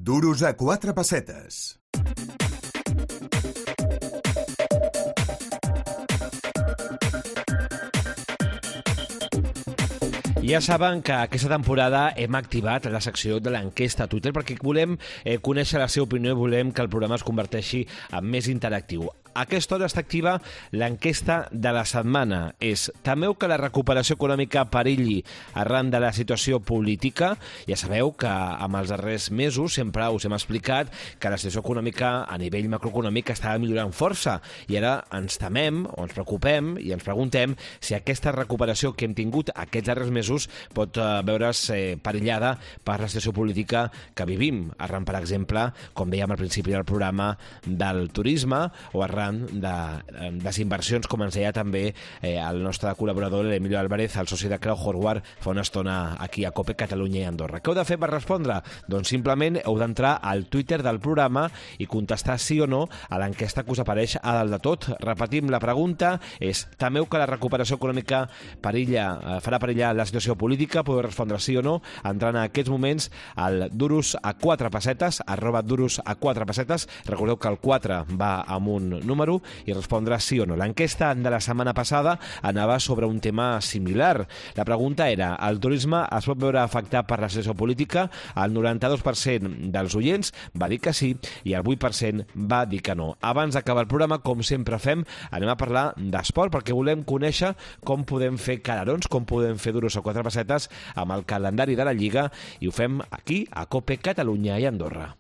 Duros a 4 pessetes. Ja saben que aquesta temporada hem activat la secció de l'enquesta a Twitter perquè volem conèixer la seva opinió i volem que el programa es converteixi en més interactiu. A aquesta hora està activa l'enquesta de la setmana. Temeu que la recuperació econòmica perilli arran de la situació política? Ja sabeu que amb els darrers mesos sempre us hem explicat que la situació econòmica a nivell macroeconòmic estava millorant força i ara ens temem o ens preocupem i ens preguntem si aquesta recuperació que hem tingut aquests darrers mesos pot veure's perillada per la situació política que vivim, arran, per exemple, com dèiem al principi del programa, del turisme o arran de les inversions, com ens deia també el nostre col·laborador, l'Emilio Álvarez, el soci de Creu Horwath, fa una estona aquí a COPE, Catalunya i Andorra. Què heu de fer per respondre? Doncs simplement heu d'entrar al Twitter del programa i contestar sí o no a l'enquesta que us apareix a dalt de tot. Repetim, la pregunta és: temeu que la recuperació econòmica farà perillar la situació política? Podeu respondre sí o no entrant en aquests moments al duros a 4 pessetes, @duros a 4 pessetes. Recordeu que el 4 va amb un número i respondre sí o no. L'enquesta de la setmana passada anava sobre un tema similar. La pregunta era: el turisme es pot veure afectat per la situació política? El 92% dels oients va dir que sí i el 8% va dir que no. Abans d'acabar el programa, com sempre fem, anem a parlar d'esport perquè volem conèixer com podem fer calarons, com podem fer duros a 4 pessetes amb el calendari de la Lliga, i ho fem aquí a COPE, Catalunya i Andorra.